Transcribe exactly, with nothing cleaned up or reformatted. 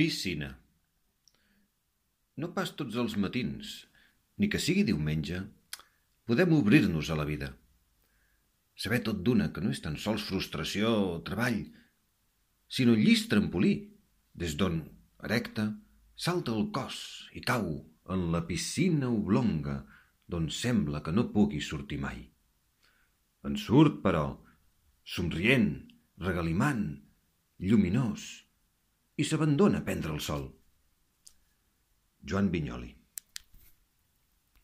Piscina. No pas tots els matins, ni que sigui diumenge, podem obrir-nos a la vida. Saber tot d'una que no és tan sols frustració o treball, sinó llis trampolí, des d'on, erecte, salta el cos i cau en la piscina oblonga d'on sembla que no pugui sortir mai. En surt, però, somrient, regalimant, lluminós, i s'abandona a prendre el sol. Joan Vinyoli.